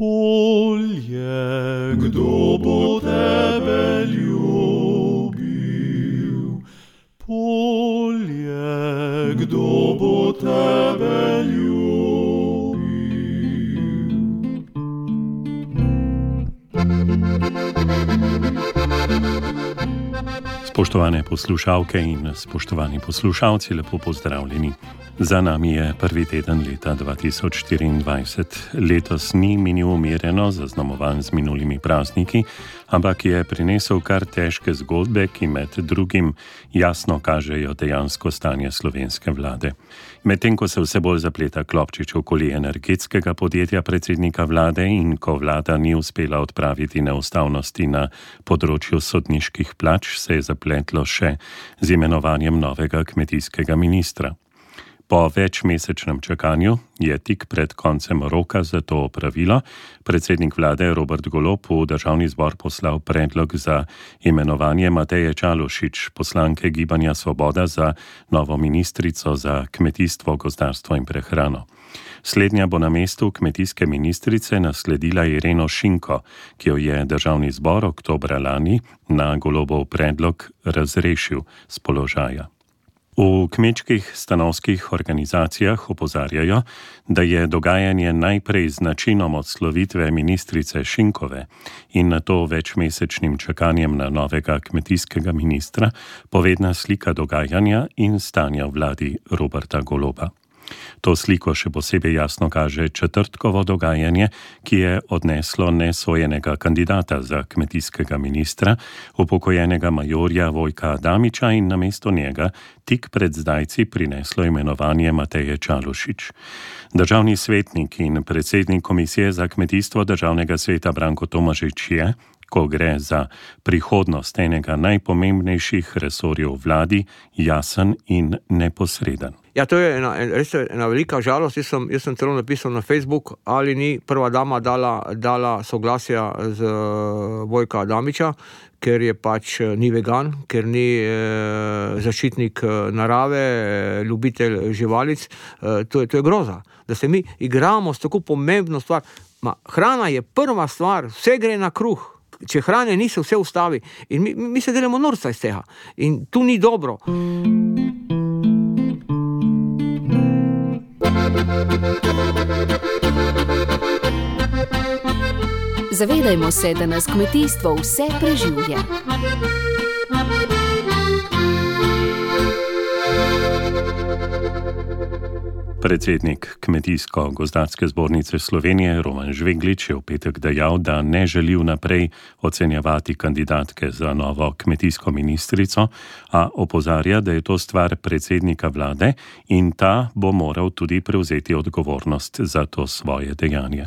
Polje, kdo bo tebe ljubil? Polje, kdo bo tebe ljubil? Spoštovane poslušalke in spoštovani poslušalci, lepo pozdravljeni. Za nami je prvi teden leta 2024. Letos ni minil umirjeno, zaznamovan z minulimi prazniki, ampak je prinesel kar težke zgodbe, ki med drugim jasno kažejo dejansko stanje slovenske vlade. Medtem ko se vse bolj zapleta klopčič okoli energetskega podjetja predsednika vlade in ko vlada ni uspela odpraviti neustavnosti na področju sodniških plač, se je zapletlo še z imenovanjem novega kmetijskega ministra. Po večmesečnem čakanju je tik pred koncem roka za to opravilo predsednik vlade Robert Golob v državni zbor poslal predlog za imenovanje Mateje Čalušić, poslanke Gibanja Svoboda, za novo ministrico za kmetijstvo, gozdarstvo in prehrano. Slednja bo na mestu kmetijske ministrice nasledila Ireno Šinko, ki jo je državni zbor oktobra lani na Golobov predlog razrešil z položaja. V kmečkih stanovskih organizacijah opozarjajo, da je dogajanje najprej z načinom odslovitve ministrice Šinkove in nato večmesečnim čakanjem na novega kmetijskega ministra povedna slika dogajanja in stanja v vladi Roberta Goloba. To sliko še posebej jasno kaže četrtkovo dogajanje, ki je odneslo nesojenega kandidata za kmetijskega ministra, upokojenega majorja Vojka Adamiča, in namesto njega tik pred zdajci prineslo imenovanje Mateje Čalušić. Državni svetnik in predsednik Komisije za kmetijstvo Državnega sveta Branko Tomažič je, ko gre za prihodnost enega najpomembnejših resorjev vladi, jasen in neposreden. Ja, to je res ena velika žalost. Jaz sem celo napisal na Facebook, ali ni prva dama dala soglasja z Vojka Adamiča, ker je pač ni vegan, ker ni zaščitnik narave, ljubitelj živalic. To je groza, da se mi igramo s tako pomembno stvar. Hrana je prva stvar, vse gre na kruh. Če hrane ni, se vse ustavi. In mi se delamo norca iz tega. In tu ni dobro. Zavedajmo se, da nas kmetijstvo vse preživlja. Predsednik Kmetijsko-gozdarske zbornice Slovenije Roman Žveglič je v petek dejal, da ne želi vnaprej ocenjevati kandidatke za novo kmetijsko ministrico, a opozarja, da je to stvar predsednika vlade in ta bo moral tudi prevzeti odgovornost za to svoje dejanje.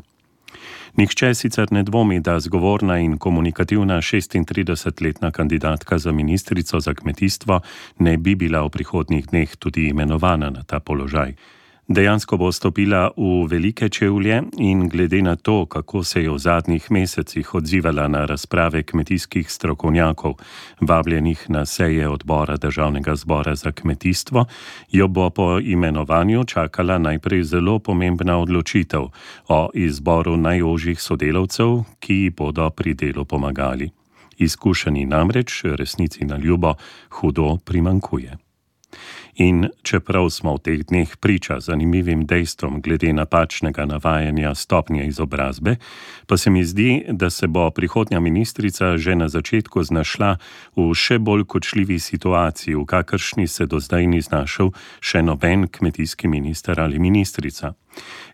Nihče sicer ne dvomi, da zgovorna in komunikativna 36-letna kandidatka za ministrico za kmetijstvo ne bi bila v prihodnjih dneh tudi imenovana na ta položaj. Dejansko bo stopila v velike čevlje in glede na to, kako se je v zadnjih mesecih odzivala na razprave kmetijskih strokovnjakov, vabljenih na seje odbora Državnega zbora za kmetijstvo, jo bo po imenovanju čakala najprej zelo pomembna odločitev o izboru najožjih sodelavcev, ki ji bodo pri delu pomagali. Izkušeni namreč resnici na ljubo hudo primanjkuje. In čeprav smo v teh dneh priča zanimivim dejstvom glede napačnega navajanja stopnje izobrazbe, pa se mi zdi, da se bo prihodnja ministrica že na začetku znašla v še bolj kočljivi situaciji, v kakršni se do zdaj ni znašel še noben kmetijski minister ali ministrica.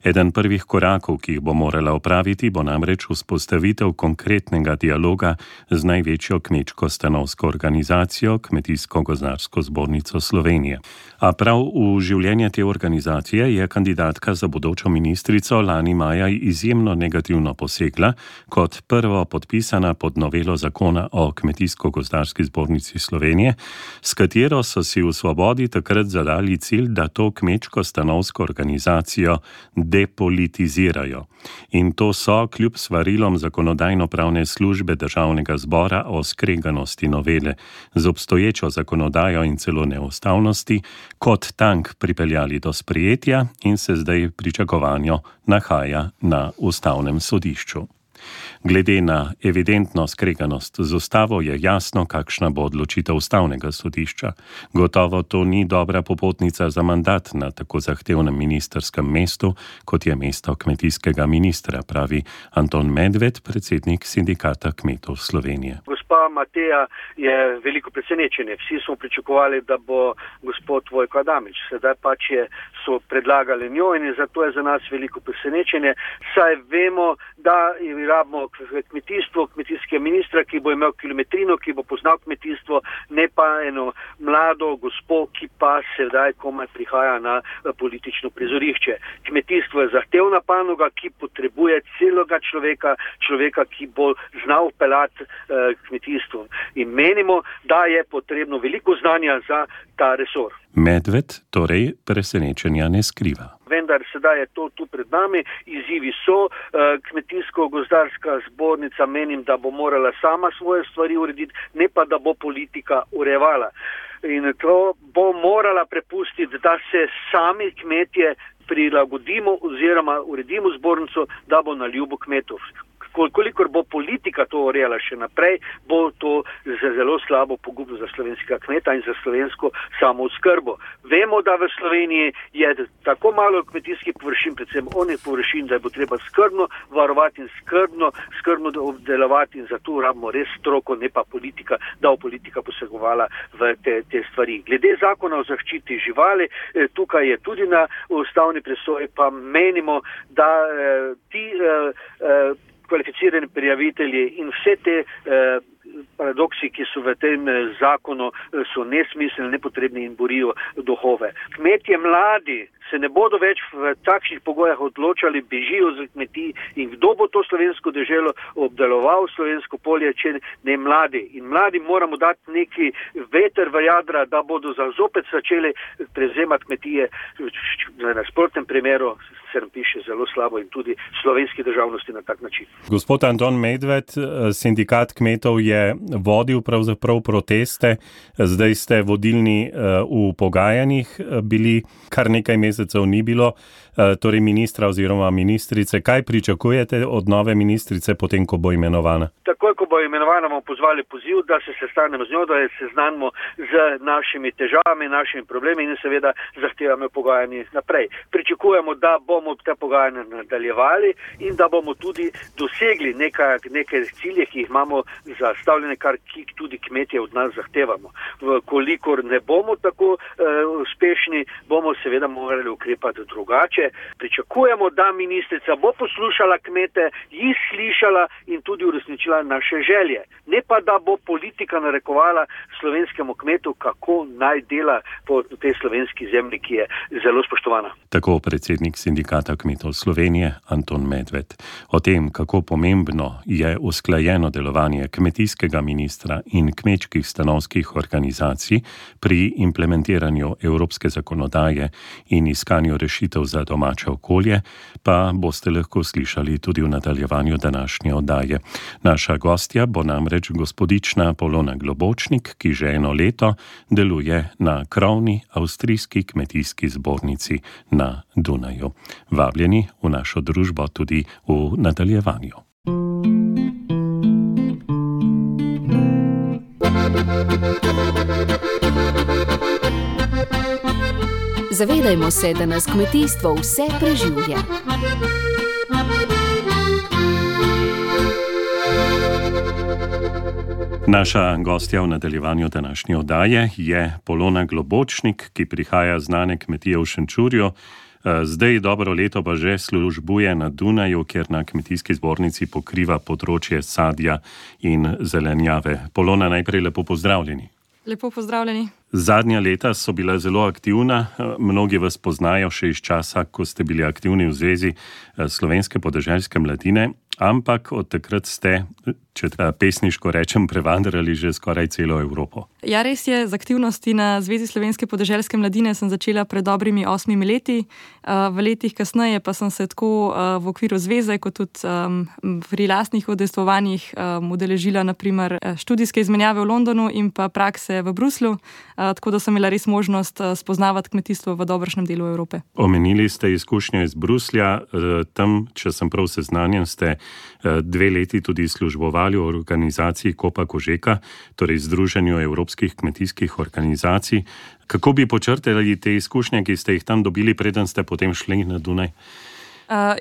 Eden prvih korakov, ki jih bo morala opraviti, bo namreč vzpostavitev konkretnega dialoga z največjo kmečko-stanovsko organizacijo Kmetijsko-gozdarsko zbornico Slovenije. A prav v življenje te organizacije je kandidatka za bodočo ministrico lani maja izjemno negativno posegla, kot prvo podpisana pod novelo zakona o Kmetijsko-gozdarski zbornici Slovenije, s katero so si v Svobodi takrat zadali cilj, da to kmečko-stanovsko organizacijo depolitizirajo. In to so, kljub svarilom Zakonodajno-pravne službe Državnega zbora o skreganosti novele z obstoječo zakonodajo in celo neustavnosti, kot tank pripeljali do sprejetja in se zdaj pričakovanjo nahaja na Ustavnem sodišču. Glede na evidentno skreganost z ustavo je jasno, kakšna bo odločitev Ustavnega sodišča. Gotovo to ni dobra popotnica za mandat na tako zahtevnem ministrskem mestu, kot je mesto kmetijskega ministra, pravi Anton Medved, predsednik Sindikata kmetov Slovenije. Gospa Mateja je veliko presenečenje. Vsi smo pričakovali, da bo gospod Vojko Adamič. Sedaj pač so predlagali njo in zato je za nas veliko presenečenje. Saj vemo, da rabimo kmetijstvo, kmetijskega ministra, ki bo imel kilometrino, ki bo poznal kmetijstvo, ne pa eno mlado gospo, ki pa sedaj komaj prihaja na politično prizorišče. Kmetijstvo je zahtevna panoga, ki potrebuje celega človeka, ki bo znal peljati kmetijstvo. In menimo, da je potrebno veliko znanja za ta resor. Medved torej presenečenja ne skriva. Vendar sedaj je to tu pred nami, izzivi so, kmetijsko-gozdarska zbornica menim, da bo morala sama svoje stvari urediti, ne pa da bo politika urejevala. In to bo morala prepustiti, da se sami kmetje prilagodimo oziroma uredimo zbornico, da bo na ljubo kmetov. Kolikor bo politika to urejala še naprej, bo to zelo slabo pogubno za slovenskega kmeta in za slovensko samooskrbo. Vemo, da v Sloveniji je tako malo kmetijskih površin, predvsem onih površin, da je bo treba skrbno varovati in skrbno obdelovati in zato rabimo res stroko, ne pa politika, da bo politika posegovala v te stvari. Glede zakona o zaščiti živali, tukaj je tudi na ustavni presoji, pa menimo, da ti kvalificirani prijavitelji in vse te paradoksi, ki so v tem zakonu, so nesmiselni, nepotrebni in borijo duhove. Kmetje mladi se ne bodo več v takšnih pogojah odločali, bežijo z kmetij in kdo bo to slovensko deželo obdeloval, slovensko polje, če ne mladi. In mladi moramo dati neki veter v jadra, da bodo zopet začeli prevzemati kmetije. Na nasprotnem primeru se nam piše zelo slabo in tudi slovenski državnosti na tak način. Gospod Anton Medved, sindikat kmetov je vodil pravzaprav proteste, zdaj ste vodilni v pogajanjih bili, kar nekaj mesecev ni bilo, torej ministra oziroma ministrice. Kaj pričakujete od nove ministrice potem, ko bo imenovana? Takoj, ko bo imenovana, bomo pozvali poziv, da se sestanemo z njo, da se seznanimo z našimi težavami, našimi problemi in seveda zahtevamo pogajanje naprej. Pričakujemo, da bomo te pogajanja nadaljevali in da bomo tudi dosegli neke cilje, ki jih imamo zastavljene, kar tudi kmetje od nas zahtevamo. Kolikor ne bomo tako uspešni, bomo seveda morali ukrepati drugače. Pričakujemo, da ministrica bo poslušala kmete, jih slišala in tudi uresničila naše želje. Ne pa, da bo politika narekovala slovenskemu kmetu, kako naj dela po tej slovenski zemlji, ki je zelo spoštovana. Tako predsednik Sindikata kmetov Slovenije Anton Medved. O tem, kako pomembno je usklajeno delovanje kmetijskega ministra in kmečkih stanovskih organizacij pri implementiranju evropske zakonodaje in iskanju rešitev za domače okolje, pa boste lahko slišali tudi v nadaljevanju današnje oddaje. Naša gostja bo namreč gospodična Polona Globočnik, ki že eno leto deluje na krovni avstrijski kmetijski zbornici na Dunaju. Vabljeni v našo družbo tudi v nadaljevanju. Zavedajmo se, da nas kmetijstvo vse preživlja. Naša gostja v nadaljevanju današnje oddaje je Polona Globočnik, ki prihaja z znane kmetije v Šenčurju. Zdaj dobro leto pa že službuje na Dunaju, kjer na kmetijski zbornici pokriva področje sadja in zelenjave. Polona, najprej lepo pozdravljeni. Lepo pozdravljeni. Zadnja leta so bila zelo aktivna, mnogi vas poznajo še iz časa, ko ste bili aktivni v Zvezi slovenske podeželske mladine, ampak od takrat ste, če pesniško rečem, prevandrali že skoraj celo Evropo. Ja, res je, z aktivnosti na Zvezi slovenske podeželske mladine sem začela pred dobrimi 8 leti. V letih kasneje pa sem se tako v okviru zveze, kot tudi pri lastnih udejstvovanjih udeležila naprimer študijske izmenjave v Londonu in pa prakse v Bruslju, tako da sem imela res možnost spoznavati kmetijstvo v dobršnem delu Evrope. Omenili ste izkušnje iz Bruslja, tam, če sem prav seznanjen, ste 2 leti tudi službovali v organizaciji Kopa Kožeka, torej Združenju evropskih kmetijskih organizacij. Kako bi počrtali te izkušnje, ki ste jih tam dobili, preden ste potem šli na Dunaj?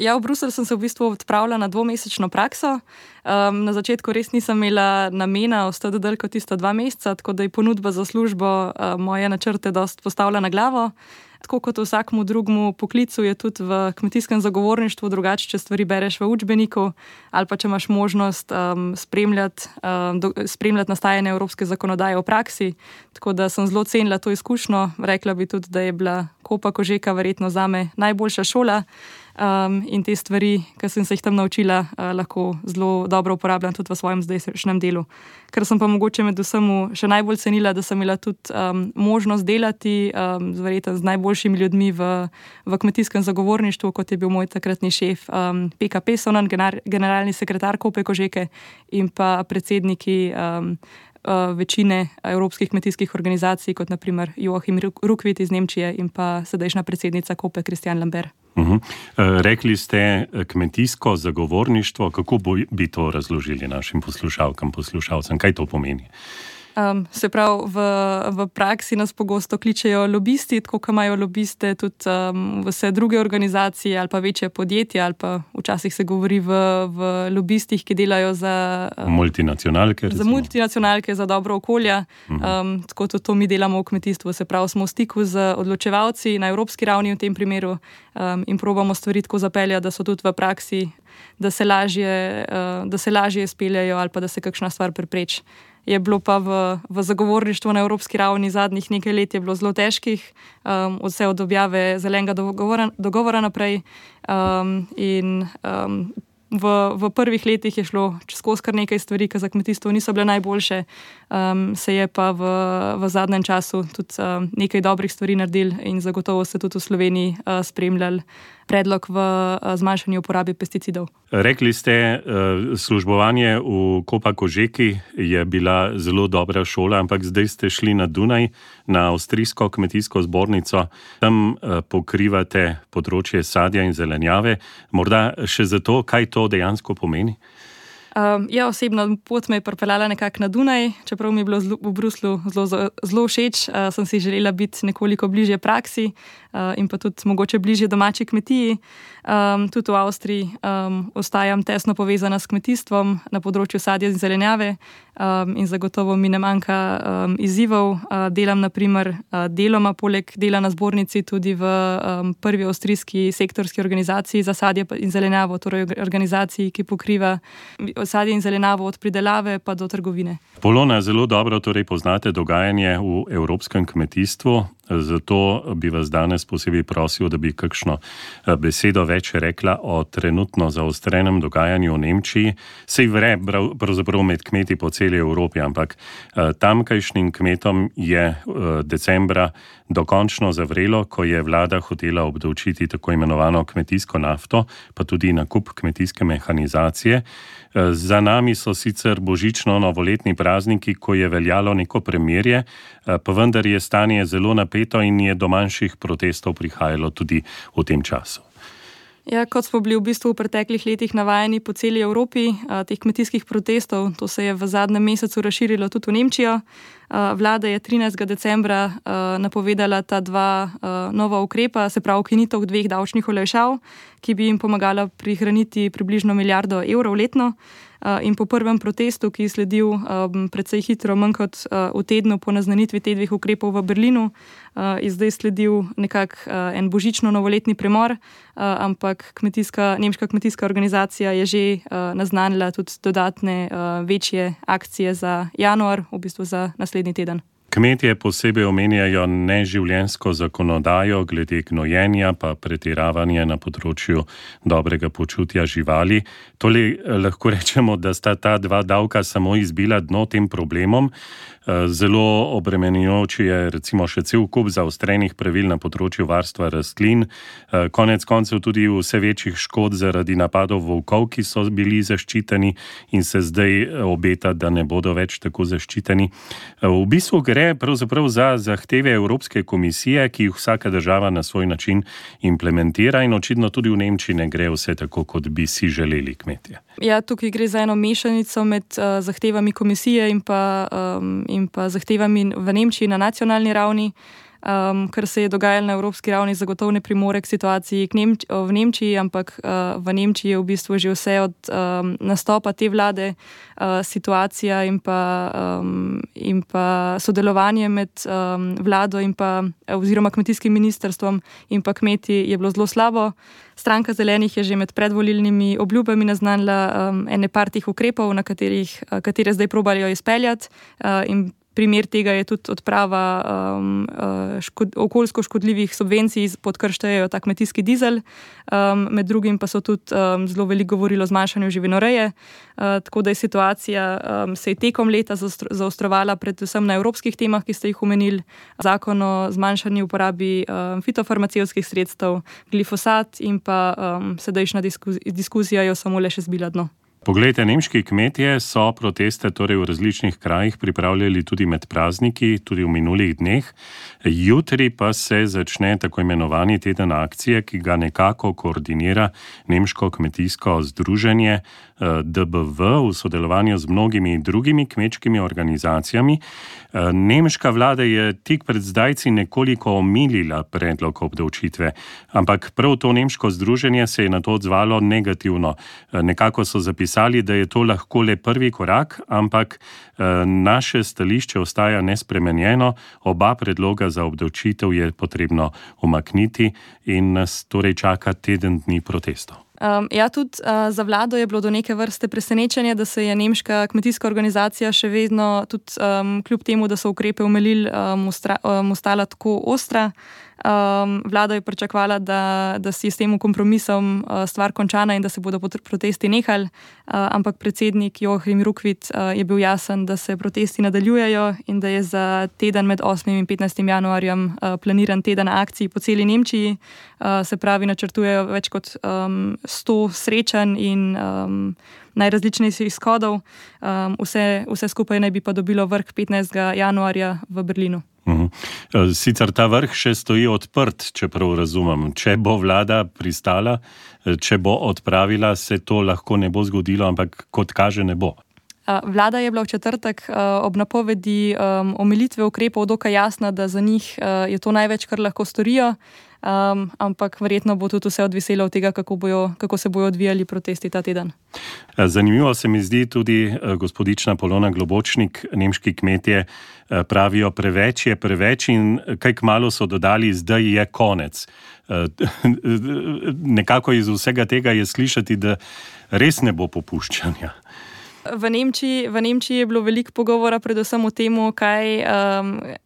Ja, v Bruselj sem se v bistvu odpravila na 2-mesečno prakso. Na začetku res nisem imela namena ostati dlje kot tista 2 meseca, tako da je ponudba za službo moje načrte dosti postavila na glavo. Tako kot v vsakmu drugmu poklicu je tudi v kmetijskem zagovorništvu drugače, če stvari bereš v učbeniku ali pa če imaš možnost spremljati nastajanje evropske zakonodaje v praksi. Tako da sem zelo cenila to izkušnjo. Rekla bi tudi, da je bila Kopa Kožeka verjetno zame najboljša šola. In te stvari, ki sem se jih tam naučila, lahko zelo dobro uporabljam tudi v svojem zdajšnjem delu. Ker sem pa mogoče med vsemu še najbolj cenila, da sem imela tudi možnost delati verjetno z najboljšimi ljudmi v kmetijskem zagovorništvu, kot je bil moj takratni šef Peka Pesonen, generalni sekretar Kope Kožeke in pa predsedniki večine evropskih kmetijskih organizacij, kot naprimer Joachim Rukvit iz Nemčije in pa sedajšnja predsednica Kope Christian Lambert. Rekli ste kmetijsko zagovorništvo, kako bi to razložili našim poslušalcem, kaj to pomeni? Se pravi, v praksi nas pogosto kličejo lobisti, tako kot imajo lobiste tudi vse druge organizacije ali pa večje podjetja, ali pa včasih se govori v lobistih, ki delajo za multinacionalke. Za multinacionalke, za dobro okolja. Tako tudi to mi delamo v kmetijstvu. Se pravi, smo v stiku z odločevalci na evropski ravni v tem primeru in probamo stvari tako zapeljati, da so tudi v praksi, da se lažje speljajo ali pa da se kakšna stvar prepreči. Je bilo pa v zagovorništvu na evropski ravni zadnjih nekaj let je bilo zelo težkih, vse od objave zelenega dogovora naprej in v prvih letih je šlo skozi kar nekaj stvari, ki za kmetijstvo niso bile najboljše, se je pa v zadnjem času tudi nekaj dobrih stvari naredili in zagotovo se tudi v Sloveniji spremljali predlog v zmanjšanju uporabe pesticidov. Rekli ste, službovanje v Kopa Kožeki je bila zelo dobra šola, ampak zdaj ste šli na Dunaj, na Avstrijsko kmetijsko zbornico. Tam pokrivate področje sadja in zelenjave. Morda še zato, kaj to dejansko pomeni? Ja, osebno pot me je pripeljala nekako na Dunaj, čeprav mi je bilo v Bruslju zelo všeč, sem si želela biti nekoliko bližje praksi in pa tudi mogoče bližje domači kmetiji. Tudi v Avstriji ostajam tesno povezana s kmetijstvom na področju sadja in zelenjave in zagotovo mi ne manjka izzivov. Delam naprimer deloma poleg dela na zbornici tudi v prvi avstrijski sektorski organizaciji za sadje in zelenjavo, torej organizaciji, ki pokriva sadje in zelenjavo od pridelave pa do trgovine. Polona, zelo dobro torej poznate dogajanje v evropskem kmetijstvu, zato bi vas danes posebej prosil, da bi kakšno besedo več rekla o trenutno zaostrenem dogajanju v Nemčiji. Sej vre pravzaprav med kmeti po celi Evropi, ampak tamkajšnjim kmetom je decembra dokončno zavrelo, ko je vlada hotela obdavčiti tako imenovano kmetijsko nafto, pa tudi nakup kmetijske mehanizacije. Za nami so sicer božično-novoletni prazniki, ko je veljalo neko premirje, pa vendar je stanje zelo napeto in je do manjših protestov prihajalo tudi v tem času. Ja, kot smo bili v bistvu v preteklih letih navajeni po celi Evropi, teh kmetijskih protestov, to se je v zadnjem mesecu razširilo tudi v Nemčijo. Vlada je 13. decembra napovedala ta 2 nova ukrepa, se pravi ukinitev 2 davčnih olajšav, ki bi jim pomagala prihraniti približno 1 milijardo evrov letno. In po prvem protestu, ki je sledil precej hitro, manj kot v tednu po naznanitvi teh 2 ukrepov v Berlinu, je zdaj sledil nekako en božično-novoletni premor, ampak nemška kmetijska organizacija je že naznanila tudi dodatne večje akcije za januar, v bistvu za naslednji teden. Kmetje posebej omenjajo neživljenjsko zakonodajo glede gnojenja, pa pretiravanje na področju dobrega počutja živali. Tole lahko rečemo, da sta ta dva davka samo izbila dno tem problemom. Zelo obremenjujoč je recimo še cel kup zaostrenih pravil na področju varstva rastlin. Konec koncev tudi vse večjih škod zaradi napadov volkov, ki so bili zaščiteni in se zdaj obeta, da ne bodo več tako zaščiteni. V bistvu gre pravzaprav za zahteve Evropske komisije, ki jih vsaka država na svoj način implementira in očitno tudi v Nemčiji ne gre vse tako, kot bi si želeli kmetje. Ja, tukaj gre za eno mešanico med zahtevami komisije in pa zahtevami v Nemčiji na nacionalni ravni. Kar se je dogajalo na evropski ravni, zagotovo ne primore k situaciji v Nemčiji, ampak v Nemčiji je v bistvu že vse od nastopa te vlade situacija in pa sodelovanje med vlado in pa oziroma kmetijskim ministrstvom in pa kmeti je bilo zelo slabo. Stranka Zelenih je že med predvolilnimi obljubami naznanila ene par teh ukrepov, katere zdaj probajo izpeljati, in primer tega je tudi odprava okoljsko škodljivih subvencij, pod kar štejejo ta kmetijski dizel. Med drugim pa so tudi zelo veliko govorili o zmanjšanju živinoreje, tako da je situacija se je tekom leta zaostrovala predvsem na evropskih temah, ki ste jih omenili. Zakon o zmanjšanju uporabi fitofarmacevtskih sredstev, glifosat in pa sedajšnja diskusija jo samo le še zbila dno. Poglejte, nemški kmetje so proteste torej v različnih krajih pripravljali tudi med prazniki, tudi v minulih dneh. Jutri pa se začne tako imenovani teden akcije, ki ga nekako koordinira Nemško kmetijsko združenje DBV v sodelovanju z mnogimi drugimi kmečkimi organizacijami. Nemška vlada je tik pred zdajci nekoliko omilila predlog obdavčitve, ampak prav to nemško združenje se je na to odzvalo negativno. Nekako so zapisali, da je to lahko le prvi korak, ampak naše stališče ostaja nespremenjeno. Oba predloga za obdavčitev je potrebno umakniti in nas torej čaka teden dni protestov. Ja, tudi za vlado je bilo do neke vrste presenečenje, da se je nemška kmetijska organizacija še vedno, tudi kljub temu, da so ukrepe omilili, ostala tako ostra. Vlada je pričakovala, da si s tem kompromisom stvar končana in da se bodo protesti nehali, ampak predsednik Joachim Rückwit je bil jasen, da se protesti nadaljujejo in da je za teden med 8. in 15. januarjem planiran teden akcij po celi Nemčiji. Se pravi, načrtujejo več kot 100 srečanj in najrazličnejših shodov. Vse skupaj naj bi pa dobilo vrh 15. januarja v Berlinu. Sicer ta vrh še stoji odprt, čeprav razumem. Če bo vlada pristala, če bo odpravila, se to lahko ne bo zgodilo, ampak kot kaže ne bo. Vlada je bila v četrtek ob napovedi omilitve ukrepov dokaj jasna, da za njih je to največ, kar lahko storijo, ampak verjetno bo tudi vse odviselo od tega, kako se bojo odvijali protesti ta teden. Zanimivo se mi zdi tudi gospodična Polona Globočnik, nemški kmetje pravijo, preveč je preveč in kaj kmalu so dodali, zdaj je konec. Nekako iz vsega tega je slišati, da res ne bo popuščanja. V Nemčiji je bilo veliko pogovora predvsem o tem, kaj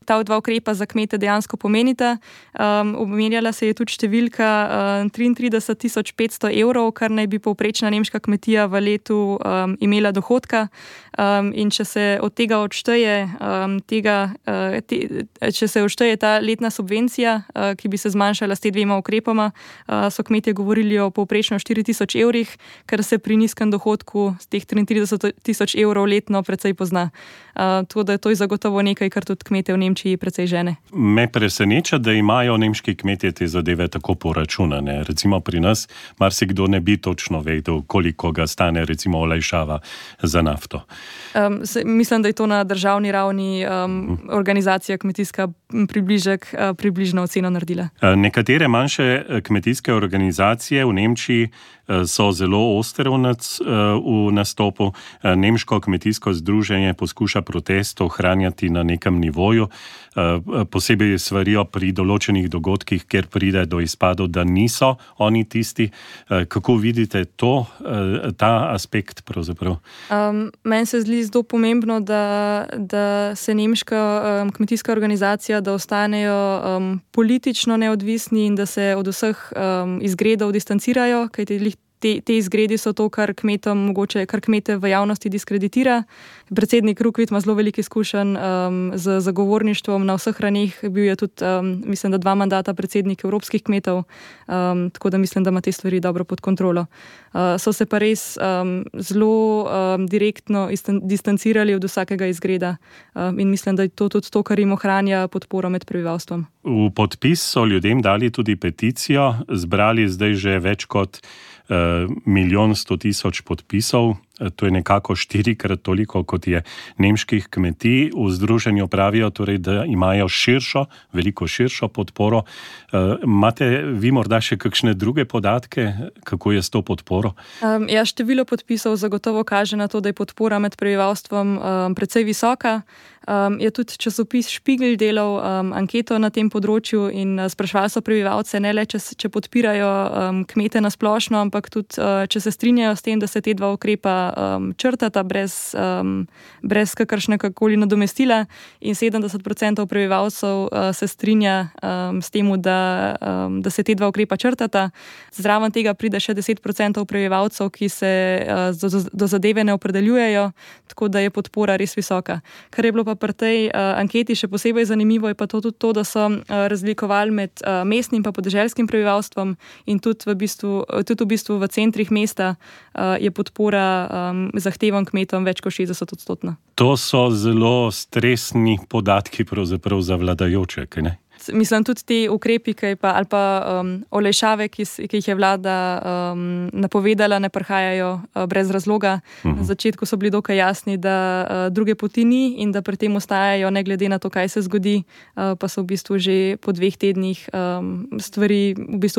ta dva ukrepa za kmete dejansko pomenita. Omenjala se je tudi številka 33.500 evrov, kar naj bi povprečna nemška kmetija v letu imela dohodka. In če se od tega odšteje ta letna subvencija, ki bi se zmanjšala s te dvema ukrepoma, so kmetje govorili o povprečno 4.000 evrih, kar se pri nizkem dohodku z teh 33.000 evrov letno precej pozna. Tako da to je zagotovo nekaj, kar tudi kmete v Nemčiji precej žene. Me preseneča, da imajo nemški kmetje te zadeve tako poračunane. Recimo pri nas marsikdo ne bi točno vedel, koliko ga stane recimo olajšava za nafto. Mislim, da je to na državni ravni organizacija kmetijska približno oceno naredila. Nekatere manjše kmetijske organizacije v Nemčiji so zelo ostre v nastopu. Nemško kmetijsko združenje poskuša protest ohranjati na nekem nivoju, posebej svarijo pri določenih dogodkih, kjer pride do izpadov, da niso oni tisti. Kako vidite ta aspekt pravzaprav? Meni se zdi zelo pomembno, da se nemška kmetijska organizacija, da ostanejo politično neodvisni in da se od vseh izgredov distancirajo, kajti te izgredi so to, kar kmete v javnosti diskreditira. Predsednik Rukvit ima zelo veliko izkušenj z zagovorništvom na vseh raneh. Bil je tudi, mislim, da 2 mandata predsednik evropskih kmetov, tako da mislim, da ima te stvari dobro pod kontrolo. So se pa res zelo direktno distancirali od vsakega izgreda in mislim, da je to tudi to, kar jim ohranja podporo med prebivalstvom. V podpis so ljudem dali tudi peticijo, zbrali zdaj že več kot 1.100.000 podpisov, to je nekako 4-krat toliko, kot je nemških kmetij. V združenju pravijo torej, da imajo veliko širšo podporo. Imate vi morda še kakšne druge podatke, kako je s to podporo? Število podpisov zagotovo kaže na to, da je podpora med prebivalstvom precej visoka. Je tudi časopis Špigl delal anketo na tem področju in sprašvali so prebivalce, ne le, če podpirajo kmete na splošno, ampak tudi, če se strinjajo s tem, da se te 2 ukrepa črtata brez kakršnekoli nadomestila, in 70% prebivalcev se strinja s tem, da se te 2 ukrepa črtata. Zraven tega pride še 10% prebivalcev, ki se do zadeve ne opredeljujejo, tako da je podpora res visoka. Kar je bilo pa pri tej anketi še posebej zanimivo, je pa tudi to, da so razlikovali med mestnim pa podeželskim prebivalstvom in tudi v bistvu v centrih mesta je podpora zahtevam kmetom več kot 60%. To so zelo stresni podatki pravzaprav za vladajoče, kaj ne? Mislim, tudi te ukrepi ali pa olajšave, ki jih je vlada napovedala, ne prihajajo brez razloga. Na začetku so bili dokaj jasni, da druge poti ni in da pri tem ostajajo, ne glede na to, kaj se zgodi, pa so v bistvu že po 2 tednih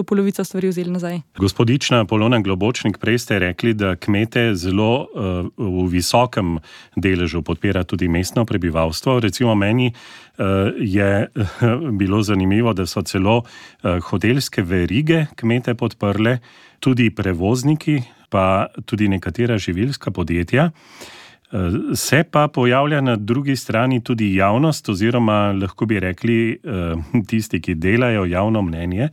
polovica stvari vzeli nazaj. Gospodična Polona Globočnik, prej ste rekli, da kmete zelo v visokem deležu podpira tudi mestno prebivalstvo. Recimo meni je bilo zanimivo, da so celo hotelske verige kmete podprle, tudi prevozniki, pa tudi nekatera živilska podjetja. Se pa pojavlja na drugi strani tudi javnost, oziroma lahko bi rekli tisti, ki delajo javno mnenje,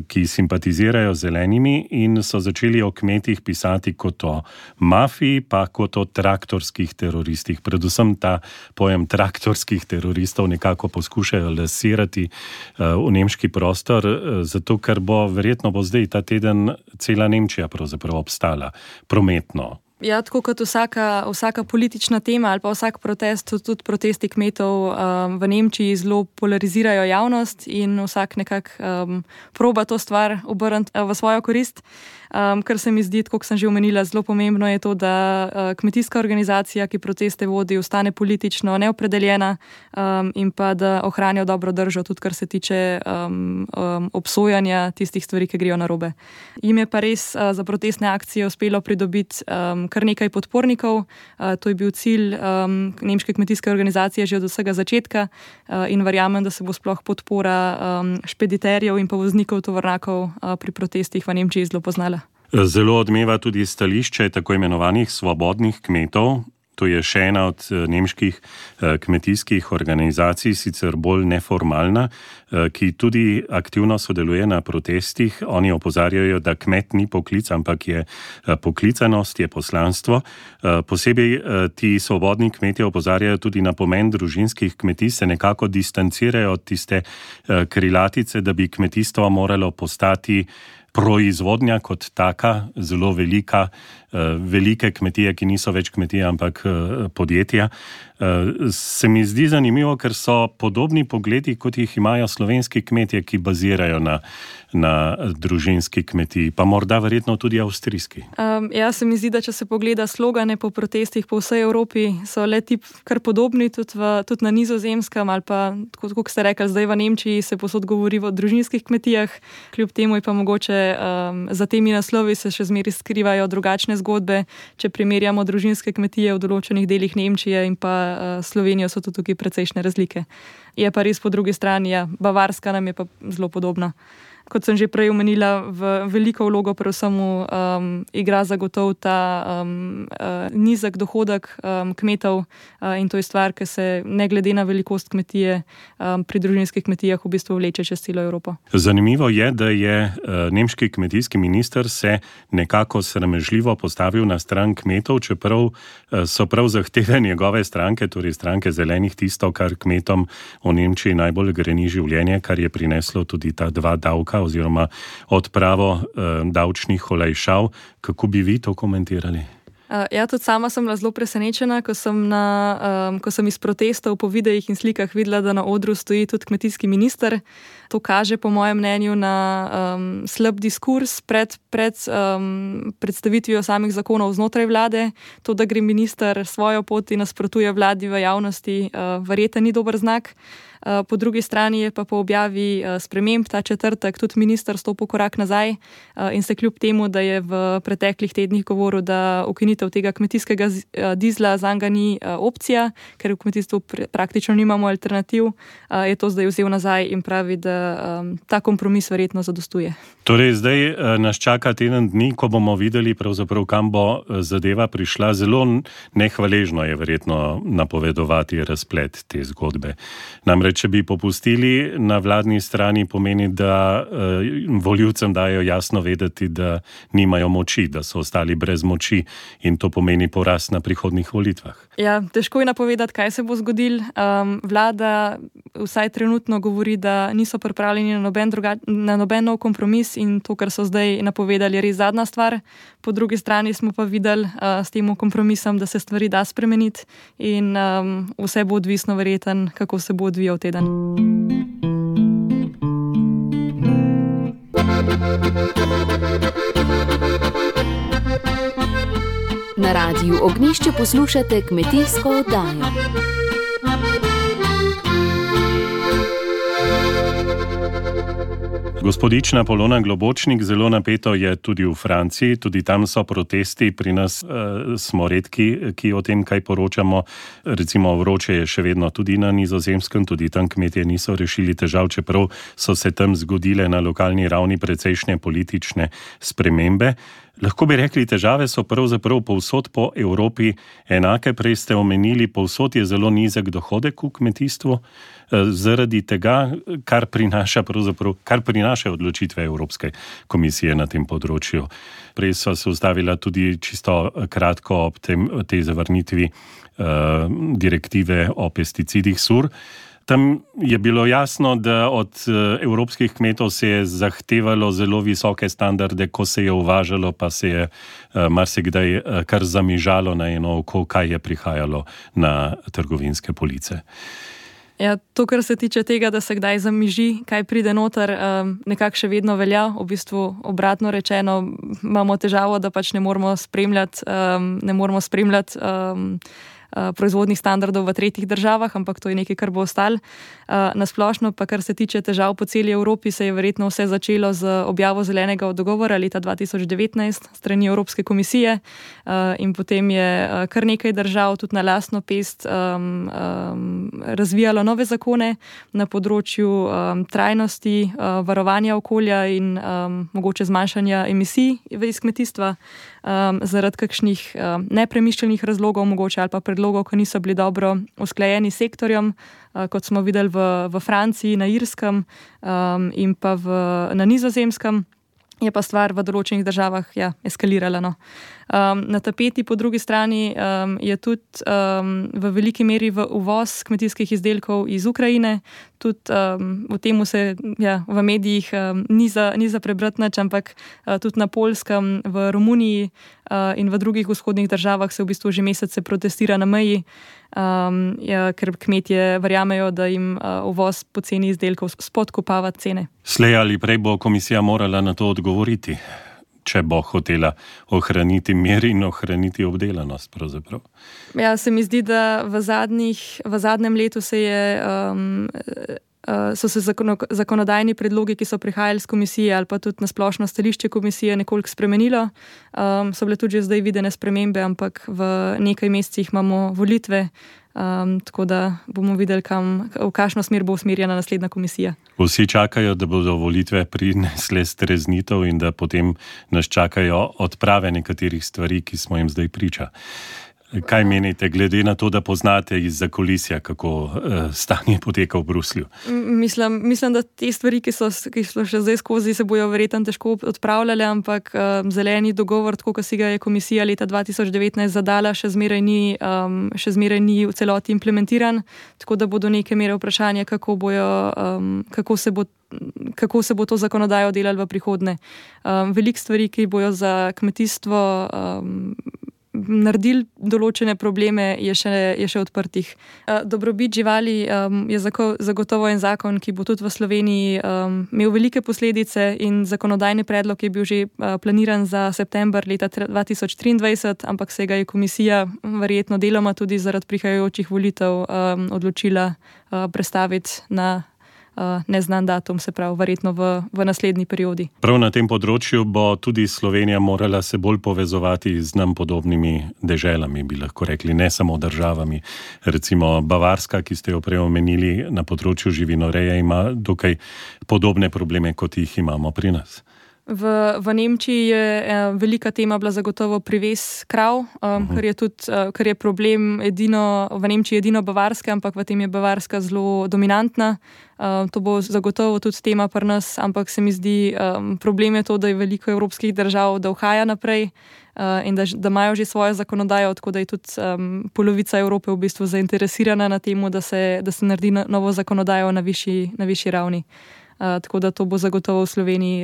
ki simpatizirajo z zelenimi in so začeli o kmetih pisati kot o mafiji, pa kot o traktorskih teroristih. Predvsem ta pojem traktorskih teroristov nekako poskušajo lasirati v nemški prostor, zato ker verjetno bo zdaj ta teden cela Nemčija pravzaprav obstala prometno. Ja, tako kot vsaka politična tema ali pa vsak protest, tudi protesti kmetov v Nemčiji zelo polarizirajo javnost in vsak nekako proba to stvar obrniti v svojo korist. Kar se mi zdi, kot sem že omenila, zelo pomembno je to, da kmetijska organizacija, ki proteste vodi, ostane politično neopredeljena in pa da ohranijo dobro držo, tudi kar se tiče obsojanja tistih stvari, ki grejo narobe. Jim je pa res za protestne akcije uspelo pridobiti kar nekaj podpornikov. To je bil cilj nemške kmetijske organizacije že od vsega začetka in verjamem, da se bo sploh podpora špediterjev in pa voznikov tovornjakov pri protestih v Nemčiji zelo poznala. Zelo odmeva tudi stališče tako imenovanih svobodnih kmetov. To je še ena od nemških kmetijskih organizacij, sicer bolj neformalna, ki tudi aktivno sodeluje na protestih. Oni opozarjajo, da kmet ni poklic, ampak je poklicanost, je poslanstvo. Posebej ti svobodni kmetje opozarjajo tudi na pomen družinskih kmetij, se nekako distancirajo od tiste krilatice, da bi kmetijstvo moralo postati proizvodnja kot taka, zelo velike kmetije, ki niso več kmetije, ampak podjetja. Se mi zdi zanimivo, ker so podobni pogledi, kot jih imajo slovenski kmetje, ki bazirajo na družinski kmetiji, pa morda verjetno tudi avstrijski. Ja, se mi zdi, da če se pogleda slogane po protestih po vsej Evropi, so le ti kar podobni, tudi na Nizozemskem ali pa, kot ste rekli, zdaj v Nemčiji se posod govori o družinskih kmetijah, kljub temu je pa mogoče za temi naslovi se še zmeraj skrivajo drugačne zgodbe. Če primerjamo družinske kmetije v določenih delih Nemčije in pa Slovenijo, so tukaj precejšnje razlike. Je pa res po drugi strani, Bavarska nam je pa zelo podobna. Kot sem že prej omenila, veliko vlogo predvsem igra zagotovo ta nizek dohodek kmetov in to je stvar, ki se ne glede na velikost kmetije pri družinskih kmetijah v bistvu vleče čez celo Evropo. Zanimivo je, da je nemški kmetijski minister se nekako sramežljivo postavil na stran kmetov, čeprav so prav zahteve njegove stranke, torej stranke zelenih, tisto, kar kmetom v Nemčiji najbolj greni življenje, kar je prineslo tudi ta 2 davka oziroma odpravo davčnih olajšav. Kako bi vi to komentirali? Tudi sama sem bila zelo presenečena, ko sem iz protestov po videih in slikah videla, da na odru stoji tudi kmetijski minister. To kaže po mojem mnenju na slab diskurs pred predstavitvijo samih zakonov znotraj vlade. To, da gre minister svojo pot in nasprotuje vladi v javnosti, verjetno ni dober znak. Po drugi strani je pa po objavi sprememb ta četrtek tudi minister stopil korak nazaj in se kljub temu, da je v preteklih tednih govoril, da ukinitev tega kmetijskega dizla zanj ni opcija, ker v kmetijstvu praktično nimamo alternativ, je to zdaj vzel nazaj in pravi, da ta kompromis verjetno zadostuje. Torej, zdaj nas čaka teden dni, ko bomo videli pravzaprav, kam bo zadeva prišla. Zelo nehvaležno je verjetno napovedovati razplet te zgodbe. Namreč, če bi popustili na vladni strani, pomeni, da volivcem dajo jasno vedeti, da nimajo moči, da so ostali brez moči in to pomeni poraz na prihodnjih volitvah. Težko je napovedati, kaj se bo zgodilo. Vlada vsaj trenutno govori, da niso pripravljeni na noben nov kompromis in to, kar so zdaj napovedali, je res zadnja stvar. Po drugi strani smo pa videli s tem kompromisom, da se stvari da spremeniti in vse bo odvisno verjetno, kako se bo odvijal teden. Na Radiu Ognjišče poslušate kmetijsko oddajo. Gospodična Polona Globočnik, zelo napeto je tudi v Franciji, tudi tam so protesti, pri nas smo redki, ki o tem kaj poročamo. Recimo vroče je še vedno tudi na Nizozemskem, tudi tam kmetje niso rešili težav, čeprav so se tam zgodile na lokalni ravni precejšnje politične spremembe. Lahko bi rekli, težave so pravzaprav povsod po Evropi enake. Prej ste omenili, povsod je zelo nizek dohodek v kmetijstvu, zaradi tega, kar prinaša odločitve Evropske komisije na tem področju. Prej so se ustavila tudi čisto kratko ob tej zavrnitvi direktive o pesticidih SUR. Tam je bilo jasno, da od evropskih kmetov se je zahtevalo zelo visoke standarde, ko se je uvažalo, pa se je marsikdaj kar zamižalo na eno oko, kaj je prihajalo na trgovinske police. To, kar se tiče tega, da se kdaj zamiži, kaj pride noter, nekako še vedno velja. V bistvu obratno rečeno, imamo težavo, da pač ne moremo spremljati proizvodnih standardov v tretjih državah, ampak to je nekaj, kar bo ostalo. Nasplošno pa, kar se tiče težav po celi Evropi, se je verjetno vse začelo z objavo zelenega dogovora leta 2019 strani Evropske komisije in potem je kar nekaj držav tudi na lastno pest razvijalo nove zakone na področju trajnosti, varovanja okolja in mogoče zmanjšanja emisij iz kmetijstva zaradi kakšnih nepremišljenih razlogov, mogoče ali pa predlogov, ki niso bili dobro usklajeni s sektorjem, kot smo videli v Franciji, na Irskem in pa na Nizozemskem. Je pa stvar v določenih državah eskalirala. Na tapeti po drugi strani je tudi v veliki meri uvoz kmetijskih izdelkov iz Ukrajine. Tudi o tem se v medijih ni za prebrati nič, ampak tudi na Poljskem, v Romuniji in v drugih vzhodnih državah se v bistvu že mesece protestira na meji, ker kmetje verjamejo, da jim uvoz poceni izdelkov spodkopava cene. Slej ali prej bo komisija morala na to odgovoriti, če bo hotela ohraniti mir in ohraniti obdelanost pravzaprav. Se mi zdi, da v zadnjem letu se je so se zakonodajni predlogi, ki so prihajali z komisije ali pa tudi na splošno stališče komisije nekoliko spremenilo. So bile tudi že zdaj videne spremembe, ampak v nekaj mesecih imamo volitve, tako da bomo videli, v kakšno smer bo usmerjena naslednja komisija. Vsi čakajo, da bodo volitve prinesle streznitev in da potem nas čakajo odprave nekaterih stvari, ki smo jim zdaj priča. Kaj menite, glede na to, da poznate iz zakulisja, kako stanje poteka v Bruslju? Mislim, da te stvari, ki so še zdaj skozi, se bojo verjetno težko odpravljale, ampak zeleni dogovor, tako kot si ga je komisija leta 2019 zadala, še zmeraj ni v celoti implementiran, tako da bodo neke mere vprašanje, kako se bo to zakonodajo delalo v prihodnje. Veliko stvari, ki bojo za kmetijstvo naredili določene probleme, je še odprtih. Dobrobit živali je zagotovo en zakon, ki bo tudi v Sloveniji imel velike posledice, in zakonodajni predlog je bil že planiran za september leta 2023, ampak se ga je komisija verjetno deloma tudi zaradi prihajajočih volitev odločila prestaviti na neznan datum, se pravi, verjetno v naslednji periodi. Prav na tem področju bo tudi Slovenija morala se bolj povezovati z nam podobnimi deželami, bi lahko rekli, ne samo državami. Recimo Bavarska, ki ste jo prej omenili, na področju živinoreje ima dokaj podobne probleme, kot jih imamo pri nas. V Nemčiji je velika tema bila zagotovo privez krav, ker je problem v Nemčiji edino Bavarska, ampak v tem je Bavarska zelo dominantna. To bo zagotovo tudi tema pri nas, ampak se mi zdi, problem je to, da je veliko evropskih držav, da uhaja naprej in da imajo že svojo zakonodajo, tako da je tudi polovica Evrope v bistvu zainteresirana na temu, da se naredi novo zakonodajo na višji ravni. Tako da to bo zagotovo v Sloveniji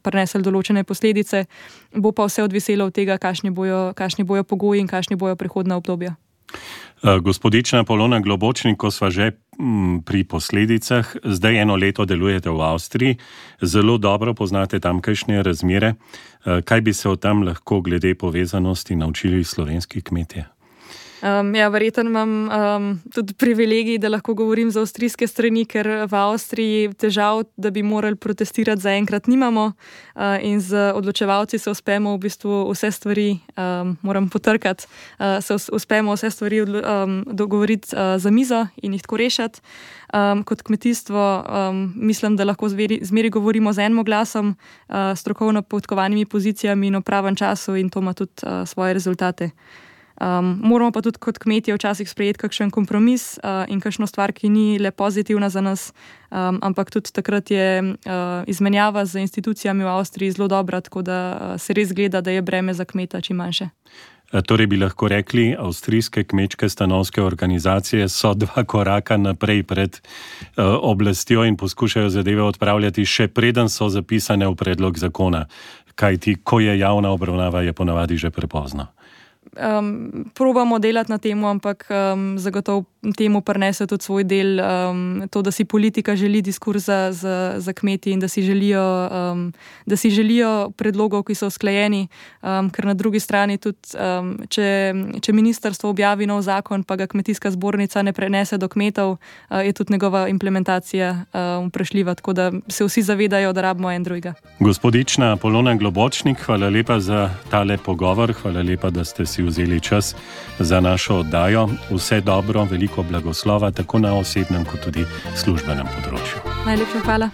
prineslo določene posledice. Bo pa vse odviselo od tega, kakšni bojo pogoji in kakšni bojo prihodna obdobja. Gospodična Polona Globočnik, ko sva že pri posledicah, zdaj 1 leto delujete v Avstriji, zelo dobro poznate tamkajšnje razmere. Kaj bi se o tam lahko glede povezanosti naučili slovenski kmetje? Verjetno imam tudi privilegij, da lahko govorim za avstrijske strani, ker v Avstriji težav, da bi morali protestirati, zaenkrat nimamo, in z odločevalci se uspemo v bistvu vse stvari, moram potrkati, se uspemo vse stvari dogovoriti za mizo in jih tako rešiti. Kot kmetijstvo mislim, da lahko zmeri govorimo z enim glasom, strokovno podkovanimi pozicijami in v pravem času, in to ima tudi svoje rezultate. Moramo pa tudi kot kmetje včasih sprejeti kakšen kompromis in kakšno stvar, ki ni le pozitivna za nas, ampak tudi takrat je izmenjava z institucijami v Avstriji zelo dobra, tako da se res gleda, da je breme za kmeta čim manjše. Torej bi lahko rekli, avstrijske kmečke stanovske organizacije so 2 koraka naprej pred oblastjo in poskušajo zadeve odpravljati, še preden so zapisane v predlog zakona. Kajti, ko je javna obravnava, je ponavadi že prepozno. Probamo delati na temu, ampak zagotovo temu prinese tudi svoj del, to, da si politika želi diskurz za kmeti in da si želijo predlogov, ki so usklajeni, ker na drugi strani tudi, če ministrstvo objavi nov zakon, pa ga kmetijska zbornica ne prenese do kmetov, je tudi njegova implementacija vprašljiva, tako da se vsi zavedajo, da rabimo en drugega. Gospodična Polona Globočnik, hvala lepa za tale pogovor, hvala lepa, da ste si vzeli čas za našo oddajo. Vse dobro, veliko blagoslova, tako na osebnem kot tudi službenem področju. Najlepša hvala.